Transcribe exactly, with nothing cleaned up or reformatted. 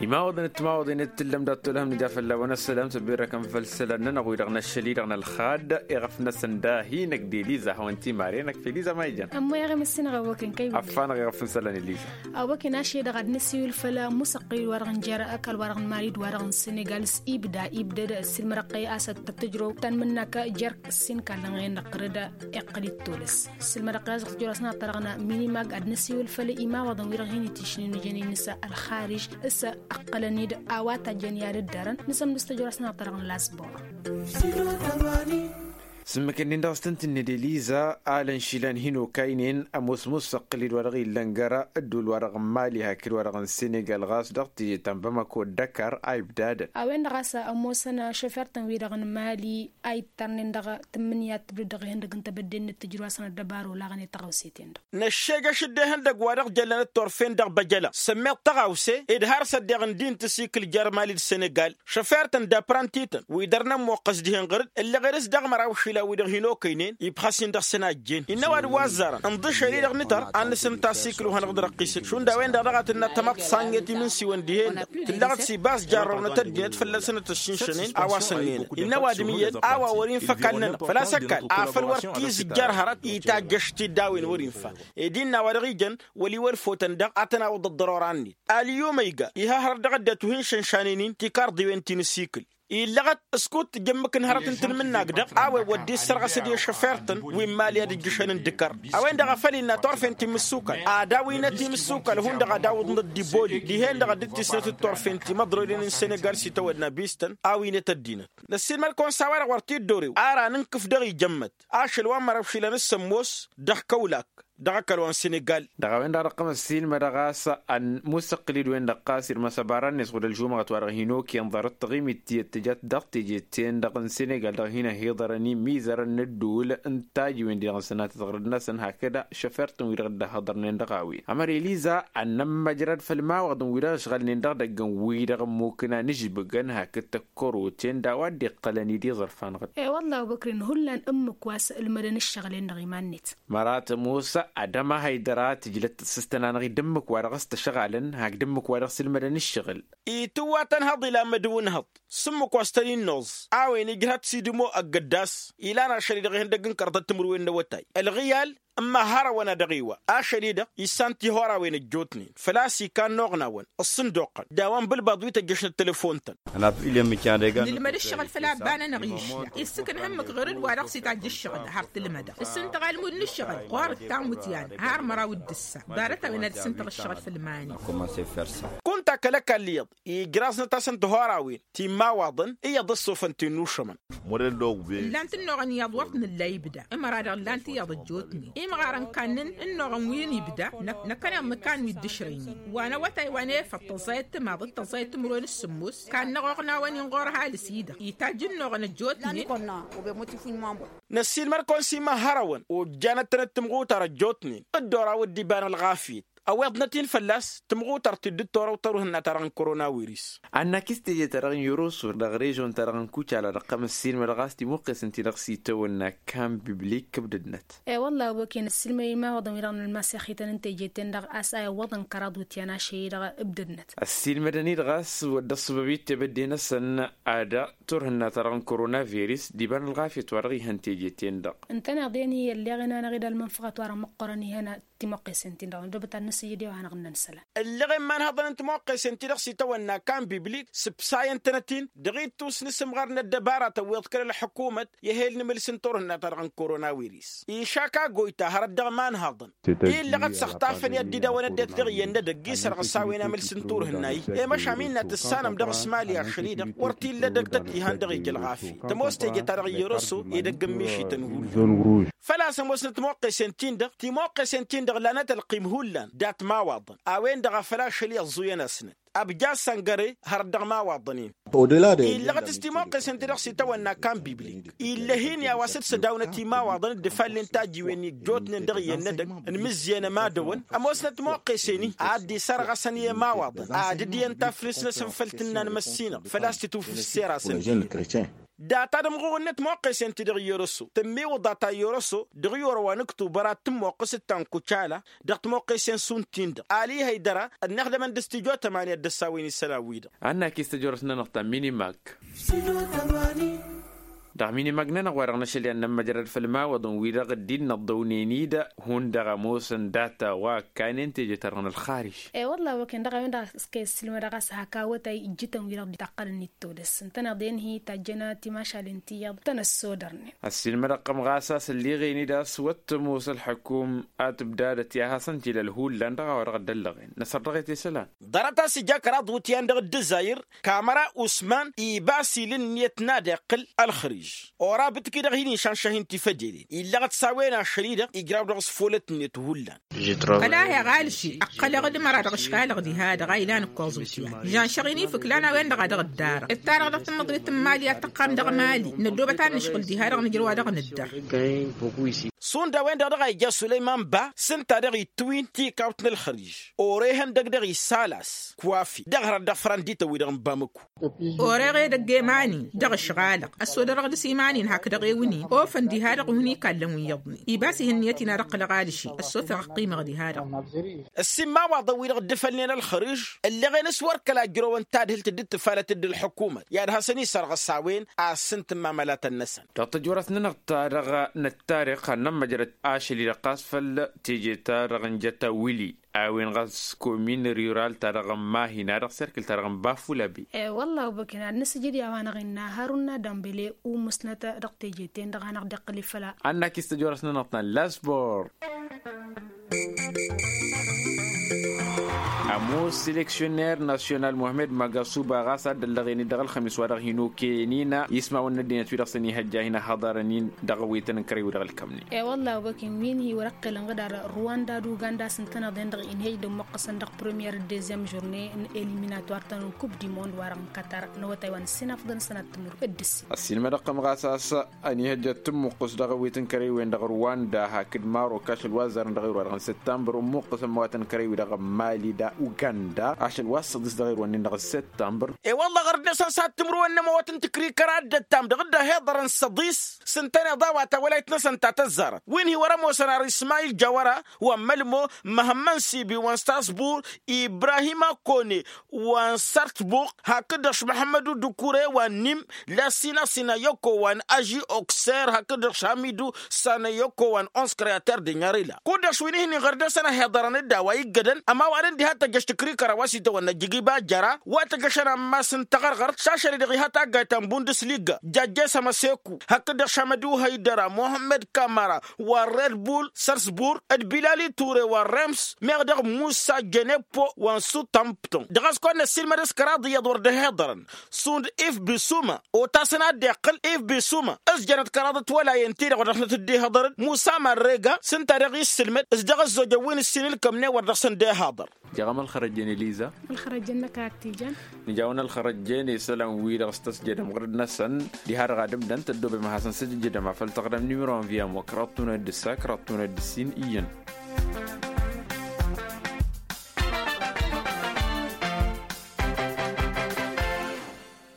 Imawăḍăn d-timawăḍen d-tǝllăm dat-tolhăm nǝja fălla-wen ăssălam s-ăbirrăkăn făll-isălan-nănăɣ wi-dăɣ n-ašăl-i-dăɣ n-ălxad iɣăf-năsăn da hin-ăgg d-eliza a hawăn-timaren ăkf eliza ma ijan. Ămmoyăɣ i-măssinăɣ a wăken kăy-wădden. Affanăɣ iɣăf n-isălan eliza. A wăken ašăl-i-dăɣ ad-nǝsiwǝl făll-musăqqǝl-i-wa-dăɣ n-jer-ăkall-wa-dăɣ n-mali d-wa-dăɣ n-senegal s-ibda ibdăd s-ilmărăqqăy a-s tăt-tǝjrăw tanmǝnnakă jer-ǝssin kallăn-ɣen-dăɣ tărǝd. Iqqăl-dd tolăs s-ilmărăqqăy a-s dăɣ-tǝjrăw a-s n-ad-tărăɣna mini mag ad-nǝsiwǝl făll-imawăḍăn wi-dăɣ hin-itǝšnen ǝjănen-s ălxariž s-ăqqălăn-dd a-wa tajjăn i-ad-ǝddărăn nǝsămdǝs tăjrăw a-s n-ad-tărăɣna lasbor. S-ǝmmǝk-ǝnnin-dăɣ s-tăn-tǝnned eliza alăn išilan hin-okaynen ămoos musăqqǝl-dd wa-dăɣ illăn gar-ăddul wa-dăɣ n-mali hakd wa-dăɣ n-senegal ɣas dăɣ-teje ta n-bamako d-ăkar a ibdadăn. A-wen-dăɣ a-s ămoosăn šăfer-tăn-wi-dăɣ n-mali a ittărnen dăɣ-tǝmmǝnǝya d-tǝbdǝd dăɣ-ihăndăg n-tebădde-net tǝjrǝw a-s n-ăddăbaro laɣăn i-tăɣawse-ten-dăɣ. Năššejăš dd-ehăndăgg wa dăɣ-jăllănăt turfen dăɣ-băjăla sămmeḍ tăɣawse ed har s-ăddeɣ ǝndin tǝsikǝl jer-mali d-senegal šăfer-tăn d-aprănti-tăn wi dăr-nămmoqqăs dihen ɣăr-dd ǝlleɣ-ed s-dăɣ-măraw išilan wi-dăɣ hin-okăynen ibxas-in dăɣ-săn a ăjjeen innă ăwadǝm wa ăzzarăn ǝnḍǝšel-i-dăɣ nǝtăr ad-nǝsǝnta asikǝl wa hanăɣ-dd-răqqisăt šund a-wen-dăɣ dăɣ-ad-tǝnna tămaḍt s-annet imǝnsiwăn dihen-dăɣ tǝllăɣ-dd s-ibas jarrăwnăt ăddinăt fălla-săn ad-tăššǝnšănen a-wa sănnen innă ăwadǝm iyyăn a-wa wăr-infa ăkall-nănăɣ făl-a-s ăkall afăl wăr t-izǝjjar hărăt itajjăš-t-dd a-wen wăr-infa. Ed innă a-wa dăɣ-ijăn wăl' iwălfotăn daɣ ad-tăn-awǝḍ ăḍḍărora-net. Alǝyum a iga iha hărăt dăɣ-ăddinăt wi hin-išănšanen-in tikarḍiwen ti n-asikǝl illăɣăt s-kud-tǝjj ǝmmǝk n-hărăt n-tanmǝnnak-dăɣ a-wen wăr dd-issărɣăs d-i-šăfer-tăn wi n-mali ad-ǝjjǝšăn n-dǝkăr. A-wen-dăɣ a făl innă turfen ti n-imǝssukal ad-awǝynăt imǝssukal hundăɣ ad-awǝḍnăt d-iboli dihen-dăɣ a dd-tisnăt d-turfen ti măḍroynen n-senegal s-itawădna bistăn. Awǝynăt ăddinăt năssiinmăr-kăwăn s-a-wa-dăɣ wăr t-dd-orew ar anǝnkǝf dăɣ-ijămmăt ašăl wa n-măraw išilan s-ămoos dăɣ-kăwlak dăɣ-ăkall wa n-senegal. Dăɣ-a-wen-dăɣ dăɣ-tămăssiilmădăɣ a-s ănn musăqqǝl-dd-wen-dăɣ ɣas irmăs ăbarănnet ɣud ălžumăɣăt wa-dăɣ hin-okăyăn ḍarăt taɣimit tiyyăt tǝjăt dăɣ-teje-ten-dăɣ n-senegal dăɣ-hin-ăhiḍărăn imizărăn n-ădduul n-tajǝwen-di-dăɣ n-sănatăt ɣur-dăɣ-năsăn hakd šăfer-tăn wi-dăɣ dd-ăhhăḍărnen dăɣ-a-wen ămăra eliza ad-nămmăjrăd făll-imawăḍăn wi-dăɣ ăšɣălnen dăɣ-idăgg n-wi-dăɣ ămmukǝn a nǝžbǝgăn hakd tăkkăroten d-a-wa dd-iqqălăn-dd iẓărfan-ɣ-dd. I-wălla a obăkrin hullan ǝmmǝk wa s-ǝlmădăn ǝššăɣǝl-en-dăɣ iman-net. Mărat ămoos ad-ămahăy dăr-a tǝjlăt tǝssǝstăn-anăɣ-dd ǝmmǝk wa dăɣ-s tăšɣalăn hakd ǝmmǝk wa dăɣ-s ǝlmădăn ǝššăɣǝl. Itǝwwa tănhăḍ ilan mădǝw ǝnhăḍ s-ǝmmǝk wa s-tăn-in-noẓ a-wen ijrăd s-idǝmo ăgg-ăddas ilan ašăl-i-dăɣ ihăndăgg n-kărḍăt timǝrwen n-awătay ălɣiyal. N-mahăr-awăn a dăɣ-iwa ašăl-i-dăɣ issan tihorawen ăjjootnen făl-a-s ikannoɣ n-awăn ǝssǝndoqqăn d-a-wa n-bǝlbaḍ wi tăjjăšnăt telefon-tăn. Nǝlmăd ǝššăɣǝl făll-abba-nănăɣ išla issǝknăh ǝmmǝk ɣur-dd wa dăɣ-s itajj ǝššăɣǝl har tǝlmădăɣ ǝssǝntăɣ almud n-ǝššăɣǝl ɣur-dd tamǝtyan har măraw d-ǝssa. Ḍarăt-a-wen ad-ǝssǝntăɣ ǝššăɣǝl făll-iman-i. Kunta kăl-ăkall iyyăḍ ijraẓnăt-asăn tihorawen ti n-imawaḍăn iyyăḍ ăssofăn ti n-inušămăn. Ǝllan-t ǝnnuɣăn iyyăḍ wăr t-nǝlla ibda ǝmăra-dăɣ ǝllan-t iyyăḍ ăjjootnen imɣarăn kannăn ǝnnuɣăn wi n-ibda. Năkkăneḍ nǝkan wi dd-ǝšrăynen wa n-awătay wa n-efăḍ tăẓẓayăt timaḍ d-tăẓẓayăt timǝrwen s-sǝmmos kannăɣ oɣnawăn-in ɣur-ăhalǝs-i-dăɣ itajj ǝnnuɣăn ăjjootnen. Năssiilmăr-kăwăn s-imăhhărăwăn ojjanăt-tănăt timɣutar ăjjootnen dd-oraw dd-iba n-ălɣafyăt ăweḍnăt-in fălla-s tǝmɣutărt-dd d-torăw tărǝhǝnna-ta-dăɣ n-koronawiris. Annak i-s teje-ta-dăɣ n-yoroso dăɣ-režon-ta-dăɣ n-kucala dăɣ-kăm ǝssilmăd ɣas timuqqes ǝnta-dăɣ s-itawănna kan biblik ǝbdădnăt. E-wălla a-wa ken ǝssilmăd imawăḍăn-wi-dăɣ n-ălmas i-axităn n-teje-ten-dăɣ a-s a iwwăḍăn kăraḍ utyan ašăl-i-dăɣ ǝbdădnăt. Ăssilmădăn-i-dăɣ a-s wăr dd-ăṣṣăbăb i-tebădde-năsăn ad-turhǝnna-ta-dăɣ n-koronaviris d-iba n-ălɣafyăt wa dăɣ-ihăn teje-ten-dăɣ. Ǝntăneḍ-en-hi ălleɣen-anăɣ-dd ălmănfăɣăt wa dăɣ-măqqorăn ihăn. Timoqqesen-tin-dăɣ n-dăbăt ad-nǝsǝjjǝd i-wa hanăɣ-ǝnnăn isălan. Ǝlleɣ i-iman hăḍăn n-timoqqesen-ti-dăɣ s-itawănna kan biblik sǝbsayăn-tănăt-in dăɣ-ittus n-asǝmɣar n-ăddăbara tăwweḍ kăl-ălḥǝkumăt i-ehel n-imǝls n-turhǝnna-ta-dăɣ n-koronawiris išak agoyta hărăt dăɣ-iman hăḍăn. Illăɣăt s-ăxtafăn i-ad-dd-idawăn ăddinăt dăɣ-iyyăn n-edăgg isărɣǝs a-wen amǝls n-turhǝnna-i i-măšan innă tǝssanăm dăɣ-s mali ašăl-i-dăɣ wăr t-illa edăgg tăt-ihăn dăɣ-ija ălɣafyăt tămoos teje-ta-dăɣ iyyăr oso edăgg n-mišităn hullan. Făl-a-s ămoosnăt timoqqesen-tin-dăɣ timoqqesen-tin-dăɣ lanăt ălqim hullan dat-imawaḍăn a-wen-dăɣ a făl ašăl-i ăẓẓuyăn-asnăt. Abjad săngăre hărăt dăɣ-imawaḍăn-in. Illăɣăt s-timoqqesen-ti-dăɣ s-itawănna kan biblik illa hin-i a-wa s-dd-sădawnăt imawaḍăn dd-ăfallen tajǝywen ijjootnen dăɣ-iyyăn n-edăgg n-imǝzziyăn ămadăwăn ămoosnăt timoqqesen-i ad-dd-isărɣăsăn i-imawaḍăn ad-dd-iyyăn taflǝs-năsăn făll-tǝnna n-măssinăɣ făl-a-s tǝtwǝfǝssera-săn. Data d-ămɣuɣ-net moqqesen-ti-dăɣ i-yoroso tǝmmiwǝḍa ta i-yoroso dăɣ-i orăwa n-ǝktubăr ad-tǝmmoqqǝs d-tankucala dăɣ-timoqqesen šund-tin-dăɣ ali hăydăra ănnixdămăn d-stijo tămani ad-dd-ăssawen isălan-wi-dăɣ. Ad-nak-istăjorăs-nănăɣ ta minimak. Dăɣ-minimag-nănăɣ wa-dăɣ n-ašăl i-ad-nămmăjrăd făll-imawăḍăn-wi-dăɣ dd-innă ăḍḍăwnen-dd hundăɣ ămoosăn data wa ǝkkanen teje-ta-dăɣ n-ălxariž. E-wălla a-wa kăyăn dăɣ-a-wen-dăɣ a s-kăy-ăssiilmădăɣ a-s hak awătay ǝjjǝtăn-wi-dăɣ dd-itaqqălăn-dd todăs ǝntăneḍ-en-hi tajjăn timašalen ti iyyăḍ tăn-ăssodărnen. Ăssiilmădăɣ-tăm ɣas a-s ălliɣen-dd a-s wăr t-ămoos ălḥăkum ad-tǝbdadăt i-ad-hasăn-t-ila ălhullan dăɣ-a-wa dăɣ-dd-ăllăɣen năsărdăɣ-e ti isălan. Ḍarăt a-s ija kăraḍ iwǝtyan dăɣ-dd-ǝzzayǝr kamăra usman ibas il' ǝnniyăt n-ad-iqqǝl ălxǝriž. Orab d-kidăɣ hin-išănšăh-in tifădelen illăɣăt s-a-wen ašăl-i-dăɣ ijraw dăɣ-s folăt-net hullan. Kăla heɣ alši ǝqqălăɣ d-măra dăɣ-ǝškalăɣ diha-dăɣ a ilan ǝkkoẓ iwǝtyan žanšăɣ-in ifǝklan a-wen-dăɣ a dăɣ-ǝddarăɣ ǝttarăɣ dăɣ-tǝmmǝḍrit n-imali ad-tăqqam dăɣ-imali năddoobăt ad-nǝšɣǝl diha-dăɣ nǝjrǝw a dăɣ-nǝddăr. Šund a-wen-dăɣ dăɣ-a ija sulăyman ba s-ǝnta dăɣ-itwǝy tikawt n-ălxărij ore ihăndăg dăɣ-isalas kwafi dăɣ-hărăt dăɣ-fărăn d-itawǝy dăɣ-n bamăku. Oreɣ edăgg i-iman-in dăɣ-ǝšɣalăɣ ăssodărăɣ dăɣ-s iman-in hakd dăɣ-ewǝn-in ofăn diha-dăɣ uhǝn ikallăn wi iyyăḍnen ibas ihǝnniyăt-in ad-ǝqqǝlăɣ alši ăssofeɣ ăqqimăɣ diha-dăɣ. Ăssiinmawaḍăn-wi-dăɣ dd-ifălnen ălxărǝž ǝlleɣen s-wăr kăla ǝjrăwăn tadhǝlt dd-tǝfalăt d-ǝlḥǝkumăt i-ad-hasăn-isărɣǝs a-wen a ăssintǝmmamălatăn-năsăn. Dăɣ-tăjorăt-nănăɣ ta-dăɣ n-ăttarix ad-nămmăjrăd ašăl-i-dăɣ ɣas făll-teje-ta-dăɣ n-jăta wǝli a-wen ɣas komin riral-ta-dăɣ n-mahina dăɣ-serkǝl-ta-dăɣ n-bafulabi. E-wălla a-wa băken ad-nǝsǝjǝd i-a-wa-năɣ innă harun n-adămbele u-musnăt dăɣ-teje-ten-dăɣ a năɣ-dd-iqqǝl ifăla. Ad-nak-istăjorăs-nănăɣ ta n-lasbor. Ămoos seleksyoner nasyonal muhammed magasuba ɣas a dd-ăllăɣen-dd dăɣ-ălxămis wa dăɣ-hin-okăyăn-in ismawăn n-ăddinăt wi-dăɣ săn ihăjja hin-ăhhăḍărăn-in dăɣ-awităn n-kărăy-wi-dăɣ ălkămnen. E-wălla a-wa băken wi n-hi-wăr-ăqqelăn ɣǝdar rwanda d-uganda a-s ǝntăneḍ-en-dăɣ inhej d-ămmuqqăsăn dăɣ-premiyer d-dezyăm žurne n-eliminatwar-tăn n-kub di mond wa-dăɣ n-katar n-awătay wa n-ǝssin afḍăn sănat timǝrwet d-ǝssin. Ăssiinmădăɣ-tăm ɣas a-s ănihăjjăt tǝmmuqqǝs dăɣ-awit n-kărăy-wen-dăɣ rwanda hakd marok ašăl wa ăzzarăn dăɣ-erwa-dăɣ n-săttămbăr ǝmmuqqǝs ămmăwatăn kărăy-wi-dăɣ n-mali da uganda ašăl wa s-săḍis dăɣ-erwa-nin-dăɣ n-săttămbăr. E-wălla ɣăr-dd-năsăn s-ad-timǝrwen n-ămăwăt n-tǝkrikăra dd-ăttam dăɣ-dd-ăhiḍărăn săḍis s-ǝntăneḍ a-wa tawălayt-năsăn ta tăzzarăt wi n-hi-wăr-ămoosăn ar ismayil jawăra wa n-mălmo măhămmăn sibi wa n-strasbur ibrahima kone wa n-sărtbuk hakd-dăɣ š-măhămmădu dukure wa n-nim lasina sinayoko wa n-aži okser hakd-dăɣ š-hamidu sanayoko wa n-ons kreyater de nyarila kud-dăɣ š-wi n-ihǝnnin ɣăr dăr-săn ăhiḍărăn-dd a-wa iggădăn ămawal n-diha tăjjăš tǝkrikăra wa s-itawănna jigibajăra wa tăjjăšăn ammas n-taɣărɣărt šašăl-i-dăɣ iha taggayt ta n-bundǝslig jajjes amăseku hakd-dăɣ š-amădu hăydăra muhămmăd kamara wa n-redbul sărsbur d-bilali ture wa n-rems meɣ dăɣ-musa jăneppo wa n-sutămpton dăɣ-a-s kăwăn-năssiilmăd s-kăraḍ iyyăḍ wăr dd-ăhiḍărăn šund if bisuma otasăn ad-dd-iqqǝl if bisuma ǝzjănăt kăraḍăt wălayen-ti-dăɣ wa dăɣ-tăt-dd-ihiḍărăn musa marrega s-ǝnta dăɣ-i ǝssǝlmăd s-dăɣ-ăzzojăn wi n-ǝssin ǝlkămnen wăr dăɣ-săn dd-ihiḍăr. Jăɣăm ălxărăjjen eliza. Ălxărăjjen-năk ad-t-ijan. Nǝjawăn ălxărăjjen isălan-wi-dăɣ s-tăsjădăm ɣǝrǝd-năsăn diha-dăɣ ad-ǝmdăn tăddoobem ad-hasăn-sǝjǝjjǝdăm afăl tăɣdăm nimăro n-viyăm wa kăraḍ tunăt d-ǝssa kăraḍ tunăt d-ǝssin iyyăn.